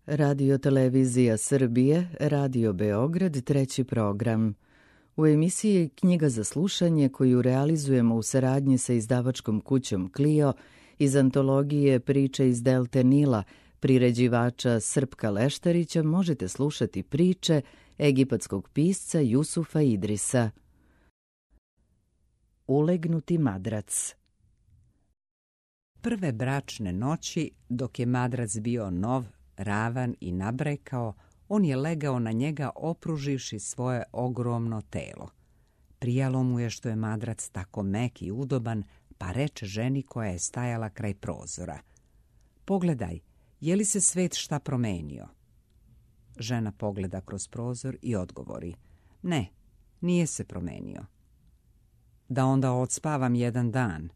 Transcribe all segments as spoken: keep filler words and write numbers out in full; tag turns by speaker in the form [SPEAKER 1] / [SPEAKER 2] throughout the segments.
[SPEAKER 1] Radio Televizija Srbije, Radio Beograd, treći program. U emisiji Knjiga za slušanje, koju realizujemo u saradnji sa izdavačkom kućom Clio, iz antologije Priče iz Delte Nila, priređivača Srpka Leštarića, možete slušati priče egipatskog pisca Jusufa Idrisa. Ulegnuti madrac.
[SPEAKER 2] Prve bračne noći, dok je madrac bio nov, ravan i nabrekao, on je legao na njega opruživši svoje ogromno telo. Prijalo mu je što je madrac tako mek i udoban, pa reče ženi koja je stajala kraj prozora: "Pogledaj, je li se svet šta promenio?" Žena pogleda kroz prozor i odgovori: "Ne, nije se promenio." "Da onda odspavam jedan dan."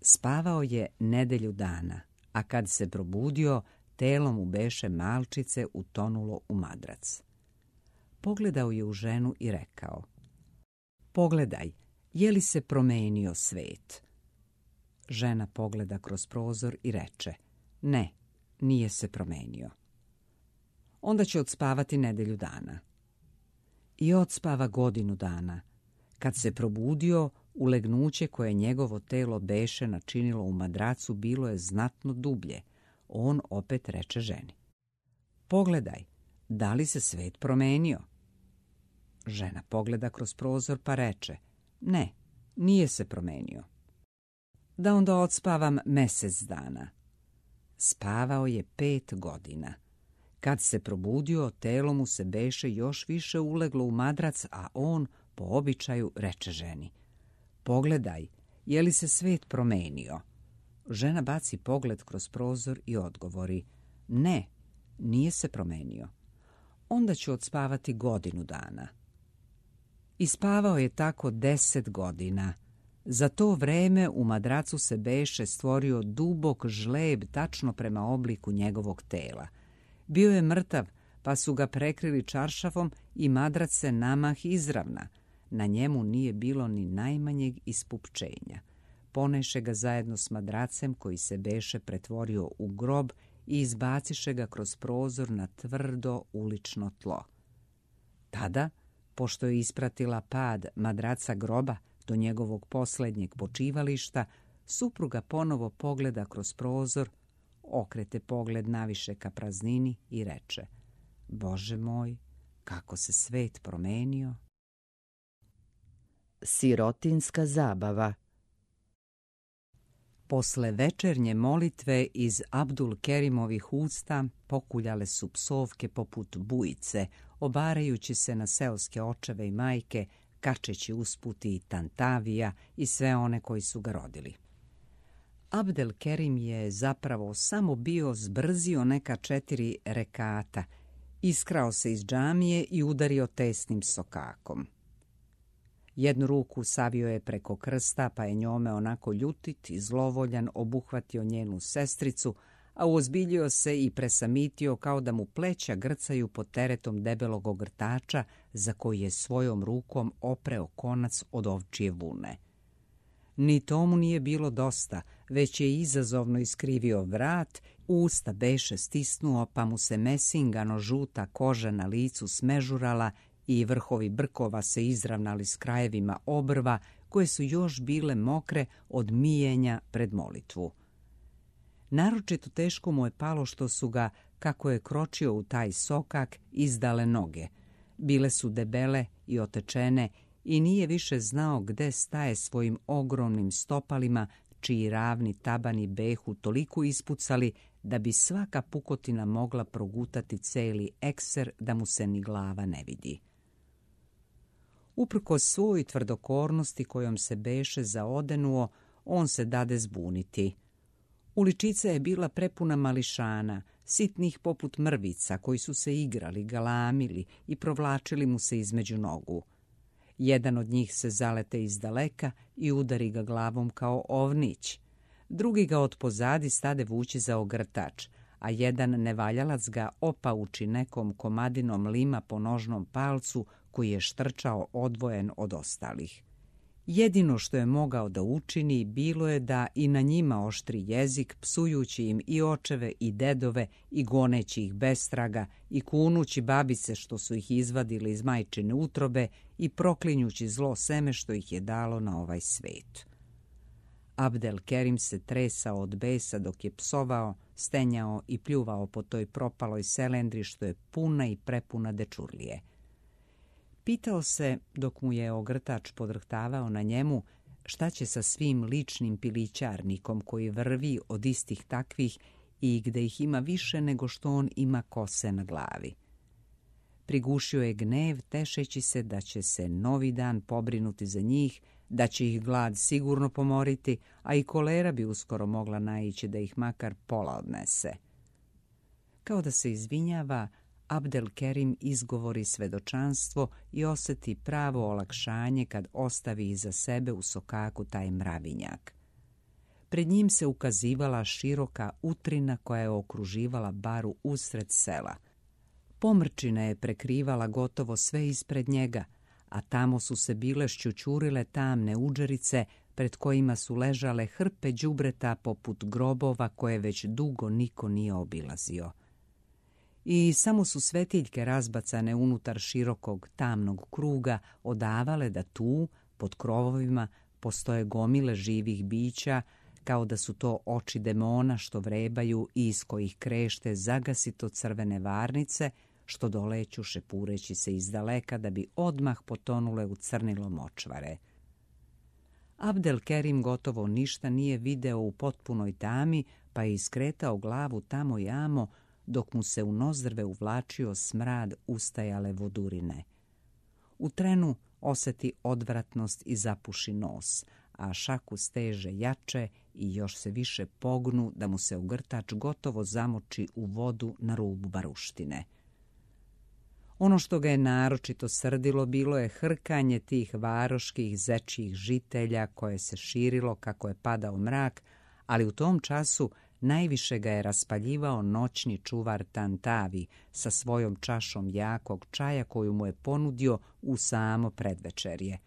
[SPEAKER 2] Spavao je nedelju dana, a kad se probudio, telo mu beše malčice utonulo u madrac. Pogledao je u ženu i rekao: "Pogledaj, je li se promenio svet?" Žena pogleda kroz prozor i reče: "Ne, nije se promenio." "Onda će odspavati nedelju dana." I odspava godinu dana. Kad se probudio, ulegnuće koje njegovo telo beše načinilo u madracu bilo je znatno dublje. On opet reče ženi: "Pogledaj, da li se svet promenio?" Žena pogleda kroz prozor pa reče: "Ne, nije se promenio." "Da onda odspavam mesec dana." Spavao je pet godina. Kad se probudio, telo mu se beše još više uleglo u madrac, a on po običaju reče ženi: "Pogledaj, je li se svet promenio?" Žena baci pogled kroz prozor i odgovori: "Ne, nije se promenio." "Onda ću odspavati godinu dana." I spavao je tako deset godina. Za to vreme u madracu se beše stvorio dubok žleb tačno prema obliku njegovog tela. Bio je mrtav, pa su ga prekrili čaršafom i madrac se namah izravna. Na njemu nije bilo ni najmanjeg ispupčenja. Poneše ga zajedno s madracem koji se beše pretvorio u grob i izbaciše ga kroz prozor na tvrdo ulično tlo. Tada, pošto je ispratila pad madraca groba do njegovog posljednjeg počivališta, supruga ponovo pogleda kroz prozor, okrete pogled naviše ka praznini i reče: "Bože moj, kako se svet promenio."
[SPEAKER 1] Sirotinska zabava.
[SPEAKER 2] Posle večernje molitve iz Abdul Kerimovih usta pokuljale su psovke poput bujice, obarajući se na seoske očeve i majke, kačeći usput i Tantavija i sve one koji su ga rodili. Abdel Kerim je zapravo samo bio zbrzio neka četiri rekata, iskrao se iz džamije i udario tesnim sokakom. Jednu ruku savio je preko krsta, pa je njome onako ljutit i zlovoljan obuhvatio njenu sestricu, a uozbiljio se i presamitio kao da mu pleća grcaju pod teretom debelog ogrtača za koji je svojom rukom opreo konac od ovčije vune. Ni tomu nije bilo dosta, već je izazovno iskrivio vrat, usta beše stisnuo, pa mu se mesingano žuta koža na licu smežurala i vrhovi brkova se izravnali s krajevima obrva, koje su još bile mokre od mijenja pred molitvu. Naročito teško mu je palo što su ga, kako je kročio u taj sokak, izdale noge. Bile su debele i otečene i nije više znao gde staje svojim ogromnim stopalima, čiji ravni tabani behu toliko ispucali da bi svaka pukotina mogla progutati celi ekser da mu se ni glava ne vidi. Uprkos svoj tvrdokornosti kojom se beše zaodenuo, on se dade zbuniti. Uličica je bila prepuna mališana, sitnih poput mrvica, koji su se igrali, galamili i provlačili mu se između nogu. Jedan od njih se zalete iz daleka i udari ga glavom kao ovnić. Drugi ga od pozadi stade vući za ogrtač, a jedan nevaljalac ga opauči nekom komadinom lima po nožnom palcu koji je štrčao odvojen od ostalih. Jedino što je mogao da učini bilo je da i na njima oštri jezik, psujući im i očeve i dedove i goneći ih bestraga i kunući babice što su ih izvadili iz majčine utrobe i proklinjući zlo seme što ih je dalo na ovaj svet. Abdelkerim se tresao od besa dok je psovao, stenjao i pljuvao po toj propaloj selendri što je puna i prepuna dečurlije. Pitao se, dok mu je ogrtač podrhtavao na njemu, šta će sa svim ličnim pilićarnikom koji vrvi od istih takvih i gde ih ima više nego što on ima kose na glavi. Prigušio je gnev, tešeći se da će se novi dan pobrinuti za njih, da će ih glad sigurno pomoriti, a i kolera bi uskoro mogla naići da ih makar pola odnese. Kao da se izvinjava, Abdelkerim izgovori svedočanstvo i osjeti pravo olakšanje kad ostavi iza sebe u sokaku taj mravinjak. Pred njim se ukazivala široka utrina koja je okruživala baru usred sela. Pomrčina je prekrivala gotovo sve ispred njega, a tamo su se bile šćućurile tamne udžerice pred kojima su ležale hrpe đubreta poput grobova koje već dugo niko nije obilazio. I samo su svetiljke razbacane unutar širokog tamnog kruga odavale da tu, pod krovovima, postoje gomile živih bića, kao da su to oči demona što vrebaju i iz kojih krešte zagasito crvene varnice, što doleću šepureći se izdaleka da bi odmah potonule u crnilo močvare. Abdelkerim gotovo ništa nije video u potpunoj tami, pa je iskretao glavu tamo i amo, dok mu se u nozdrve uvlačio smrad ustajale vodurine. U trenu osjeti odvratnost i zapuši nos, a šaku steže jače i još se više pognu da mu se ogrtač gotovo zamoči u vodu na rubu baruštine. Ono što ga je naročito srdilo bilo je hrkanje tih varoških zečjih žitelja koje se širilo kako je padao mrak, ali u tom času najviše ga je raspaljivao noćni čuvar Tantavi sa svojom čašom jakog čaja koju mu je ponudio u samo predvečerje.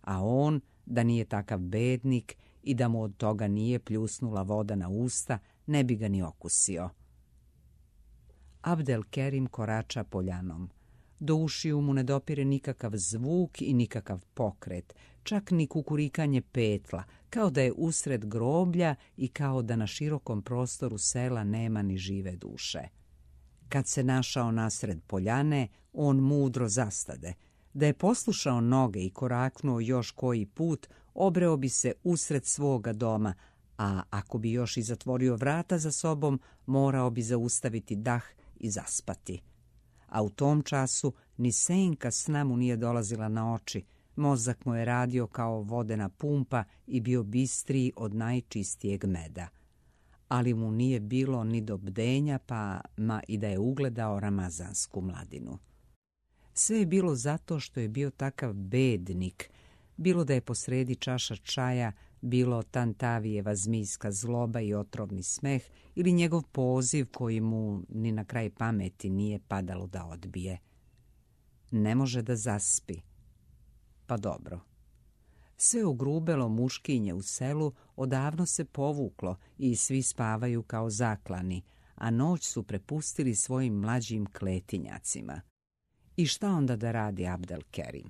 [SPEAKER 2] A on, da nije takav bednik i da mu od toga nije pljusnula voda na usta, ne bi ga ni okusio. Abdelkerim korača poljanom. Do ušiju mu ne dopire nikakav zvuk i nikakav pokret, čak ni kukurikanje petla, kao da je usred groblja i kao da na širokom prostoru sela nema ni žive duše. Kad se našao nasred poljane, on mudro zastade. Da je poslušao noge i koraknuo još koji put, obreo bi se usred svoga doma, a ako bi još i zatvorio vrata za sobom, morao bi zaustaviti dah i zaspati. A u tom času ni senka sna mu nije dolazila na oči, mozak mu je radio kao vodena pumpa i bio bistriji od najčistijeg meda. Ali mu nije bilo ni do bdenja, pa ma i da je ugledao ramazansku mladinu. Sve je bilo zato što je bio takav bednik, bilo da je posredi čaša čaja, bilo Tantavijeva zmijska zloba i otrovni smeh ili njegov poziv koji mu ni na kraj pameti nije padalo da odbije. Ne može da zaspi. Pa dobro. Sve ugrubelo muškinje u selu odavno se povuklo i svi spavaju kao zaklani, a noć su prepustili svojim mlađim kletinjacima. I šta onda da radi Abdelkerim?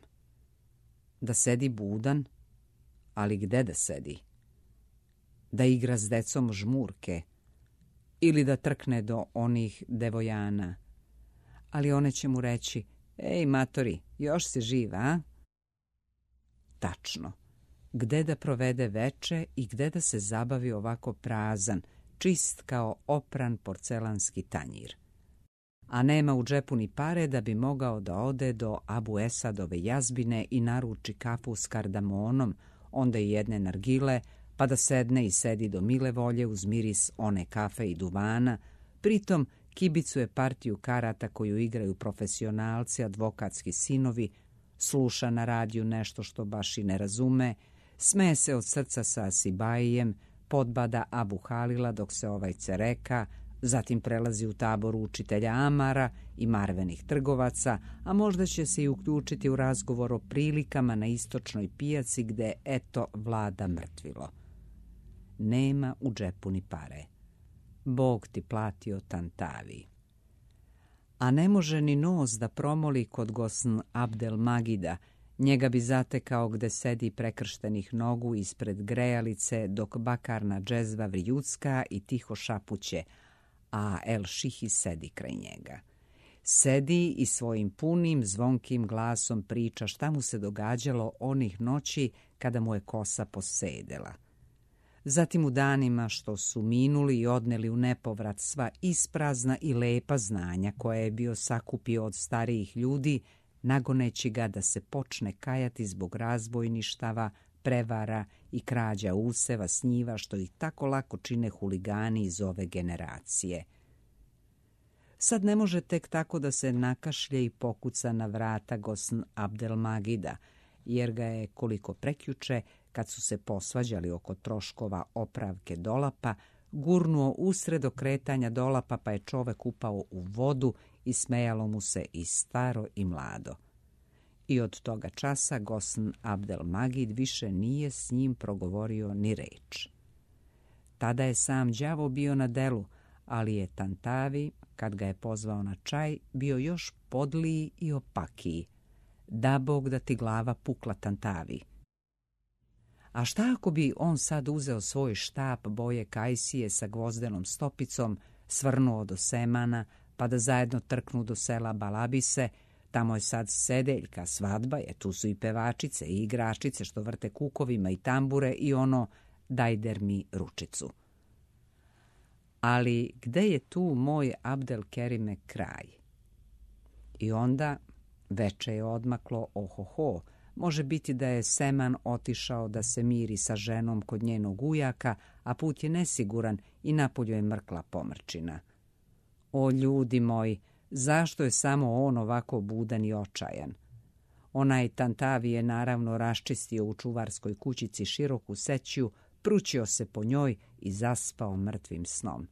[SPEAKER 2] Da sedi budan? Ali gde da sedi? Da igra s decom žmurke? Ili da trkne do onih devojana? Ali one će mu reći, ej matori, još si živ, a? Tačno. Gde da provede veče i gde da se zabavi ovako prazan, čist kao opran porcelanski tanjir. A nema u džepu ni pare da bi mogao da ode do Abu Esadove jazbine i naruči kafu s kardamonom, onda i jedne nargile, pa da sedne i sedi do mile volje uz miris one kafe i duvana, pritom kibicuje partiju karata koju igraju profesionalci, advokatski sinovi, sluša na radiju nešto što baš i ne razume, smeje se od srca sa Sibajijem, podbada Abu Halila dok se ovaj cereka, Zatim prelazi u tabor učitelja Amara i marvenih trgovaca, a možda će se i uključiti u razgovor o prilikama na istočnoj pijaci gde, eto, vlada mrtvilo. Nema u džepu ni pare. Bog ti platio Tantavi. A ne može ni nos da promoli kod gosn Abdel Magida, njega bi zatekao gde sedi prekrštenih nogu ispred grejalice dok bakarna džezva vrijucka i tiho šapuće, a El Šihi sedi kraj njega. Sedi i svojim punim, zvonkim glasom priča šta mu se događalo onih noći kada mu je kosa posedela. Zatim u danima što su minuli i odneli u nepovrat sva isprazna i lepa znanja koje je bio sakupio od starijih ljudi, nagoneći ga da se počne kajati zbog razbojništava, prevara i krađa useva s njiva što ih tako lako čine huligani iz ove generacije. Sad ne može tek tako da se nakašlje i pokuca na vrata gosn Abdel Magida, jer ga je koliko prekjuče, kad su se posvađali oko troškova opravke dolapa, gurnuo usred okretanja dolapa pa je čovek upao u vodu i smejalo mu se i staro i mlado. I od toga časa gosn Abdel Magid više nije s njim progovorio ni reč. Tada je sam đavo bio na delu, ali je Tantavi, kad ga je pozvao na čaj, bio još podliji i opakiji. Da Bog da ti glava pukla, Tantavi. A šta ako bi on sad uzeo svoj štap boje kajsije sa gvozdenom stopicom, svrnuo do Semana, pa da zajedno trknu do sela Balabise, tamo je sad sedeljka, svadba je, tu su i pevačice i igračice što vrte kukovima i tambure i ono dajder mi ručicu. Ali gde je tu moj Abdel Kerime kraj? I onda veče je odmaklo, ohoho, može biti da je Seman otišao da se miri sa ženom kod njenog ujaka, a put je nesiguran i napolju je mrkla pomrčina. O ljudi moji, zašto je samo on ovako budan i očajan? Onaj Tantavi je naravno raščistio u čuvarskoj kućici široku sećiju, prućio se po njoj i zaspao mrtvim snom.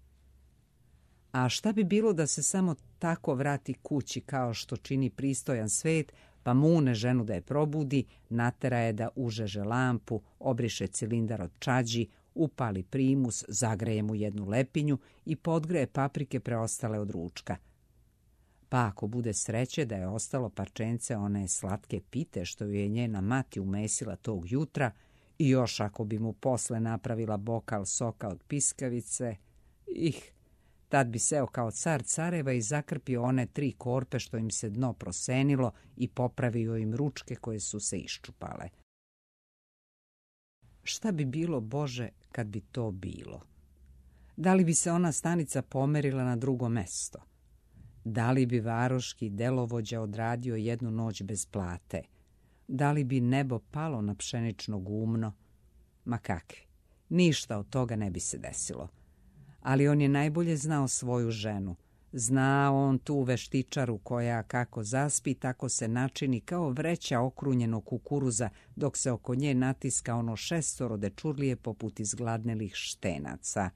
[SPEAKER 2] A šta bi bilo da se samo tako vrati kući kao što čini pristojan svet, pa mune ženu da je probudi, natera je da užeže lampu, obriše cilindar od čađi, upali primus, zagreje mu jednu lepinju i podgreje paprike preostale od ručka. Pa ako bude sreće da je ostalo parčence one slatke pite što ju je njena mati umesila tog jutra, i još ako bi mu posle napravila bokal soka od piskavice, ih, tad bi seo kao car careva i zakrpio one tri korpe što im se dno prosenilo i popravio im ručke koje su se iščupale. Šta bi bilo, Bože, kad bi to bilo? Da li bi se ona stanica pomerila na drugo mesto? Da li bi varoški delovođa odradio jednu noć bez plate? Da li bi nebo palo na pšenično gumno? Ma kakvi, ništa od toga ne bi se desilo. Ali on je najbolje znao svoju ženu. Zna on tu veštičaru koja kako zaspi, tako se načini kao vreća okrunjenog kukuruza, dok se oko nje natiska ono šestoro dečurlije poput izgladnelih štenaca.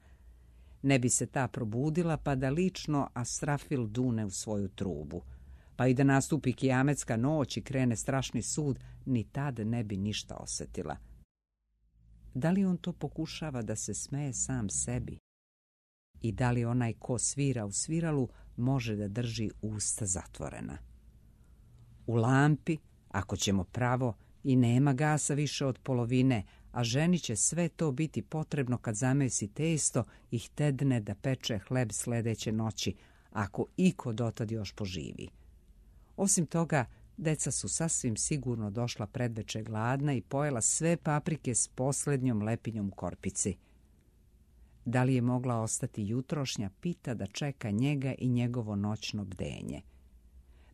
[SPEAKER 2] Ne bi se ta probudila pa da lično Asrafil dune u svoju trubu. Pa i da nastupi kijametska noć i krene strašni sud, ni tad ne bi ništa osetila. Da li on to pokušava da se smeje sam sebi? I da li onaj ko svira u sviralu može da drži usta zatvorena? U lampi, ako ćemo pravo, i nema gasa više od polovine, a ženi će sve to biti potrebno kad zamesi testo i htedne da peče hleb sledeće noći, ako iko dotad još poživi. Osim toga, deca su sasvim sigurno došla predveče gladna i pojela sve paprike s poslednjom lepinjom korpici. Da li je mogla ostati jutrošnja pita da čeka njega i njegovo noćno bdenje?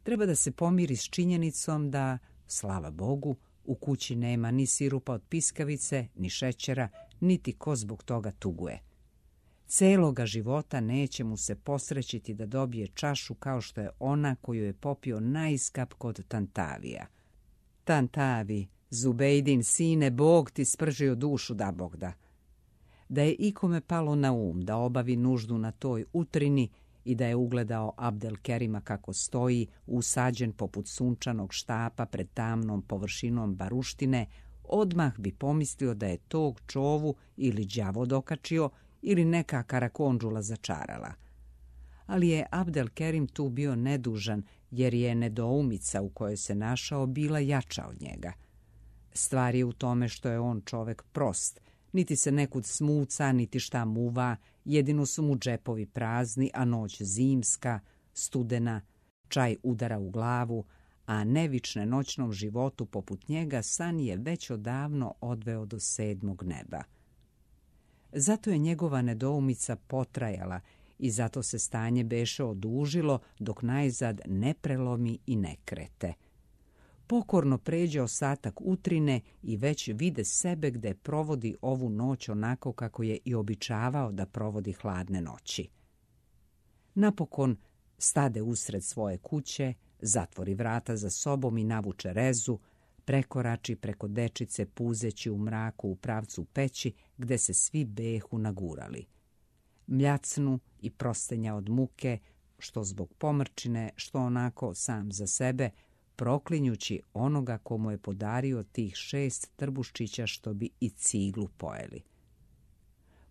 [SPEAKER 2] Treba da se pomiri s činjenicom da, slava Bogu, u kući nema ni sirupa od piskavice, ni šećera, niti ko zbog toga tuguje. Celoga života neće mu se posrećiti da dobije čašu kao što je ona koju je popio najiskap kod Tantavija. Tantavi, Zubejdin sine, Bog ti spržio dušu, da Bog da. Da je ikome palo na um da obavi nuždu na toj utrini i da je ugledao Abdelkerima kako stoji, usađen poput sunčanog štapa pred tamnom površinom baruštine, odmah bi pomislio da je tog čovu ili đavo dokačio ili neka karakondžula začarala. Ali je Abdelkerim tu bio nedužan, jer je nedoumica u kojoj se našao bila jača od njega. Stvar je u tome što je on čovek prost, niti se nekud smuca, niti šta muva, jedino su mu džepovi prazni, a noć zimska, studena, čaj udara u glavu, a nevične noćnom životu poput njega san je već odavno odveo do sedmog neba. Zato je njegova nedoumica potrajala i zato se stanje beše odužilo dok najzad ne prelomi i ne krete. Pokorno pređe ostatak utrine i već vide sebe gde provodi ovu noć onako kako je i običavao da provodi hladne noći. Napokon stade usred svoje kuće, zatvori vrata za sobom i navuče rezu, prekorači preko dečice puzeći u mraku u pravcu peći gde se svi behu nagurali. Mljacnu i prostenja od muke, što zbog pomrčine, što onako sam za sebe, proklinjući onoga komu je podario tih šest trbuščića što bi i ciglu pojeli.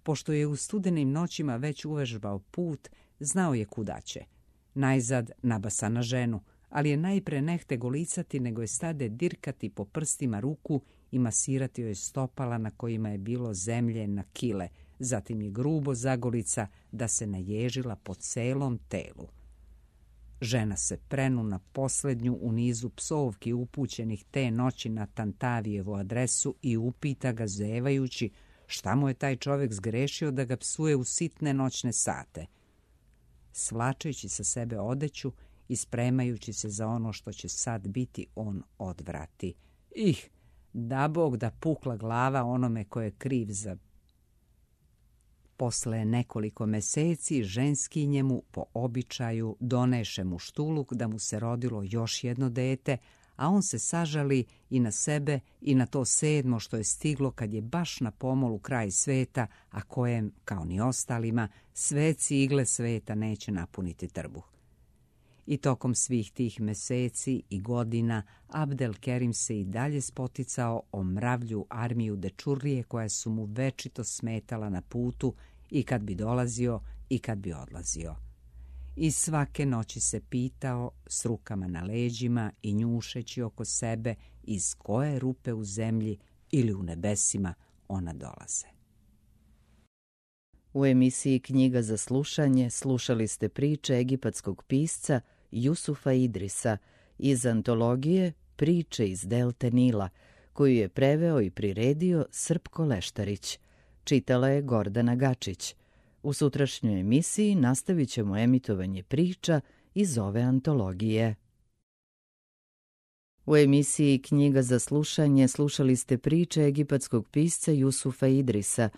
[SPEAKER 2] Pošto je u studenim noćima već uvežbao put, znao je kuda će. Najzad nabasa na ženu, ali je najpre nehte golicati, nego je stade dirkati po prstima ruku i masirati joj stopala na kojima je bilo zemlje na kile, zatim je grubo zagolica da se naježila po celom telu. Žena se prenu na posljednju u nizu psovki upućenih te noći na Tantavijevu adresu i upita ga zevajući šta mu je taj čovjek zgrešio da ga psuje u sitne noćne sate. Svlačeći sa sebe odeću i spremajući se za ono što će sad biti, on odvrati. Ih, da Bog da pukla glava onome ko je kriv za... Posle nekoliko meseci ženski njemu po običaju doneše mu štuluk da mu se rodilo još jedno dete, a on se sažali i na sebe i na to sedmo što je stiglo kad je baš na pomolu kraj sveta, a kojem, kao ni ostalima, sve cigle sveta neće napuniti trbuh. I tokom svih tih meseci i godina Abdelkerim se i dalje spoticao o mravlju armiju dečurlije koja su mu večito smetala na putu i kad bi dolazio i kad bi odlazio. I svake noći se pitao s rukama na leđima i njušeći oko sebe iz koje rupe u zemlji ili u nebesima ona dolaze.
[SPEAKER 1] U emisiji Knjiga za slušanje slušali ste priče egipatskog pisca Jusufa Idrisa iz antologije Priče iz delte Nila, koju je preveo i priredio Srpko Leštarić. Čitala je Gordana Gačić. U sutrašnjoj emisiji nastavit ćemo emitovanje priča iz ove antologije. U emisiji Knjiga za slušanje slušali ste priče egipatskog pisca Jusufa Idrisa,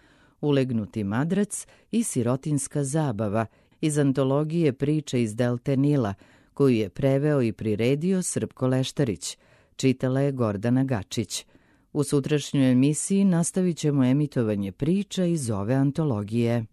[SPEAKER 1] Ulegnuti madrac i Sirotinska zabava iz antologije Priče iz delte Nila, koju je preveo i priredio Srpko Leštarić. Čitala je Gordana Gačić. U sutrašnjoj emisiji nastavit ćemo emitovanje priča iz ove antologije.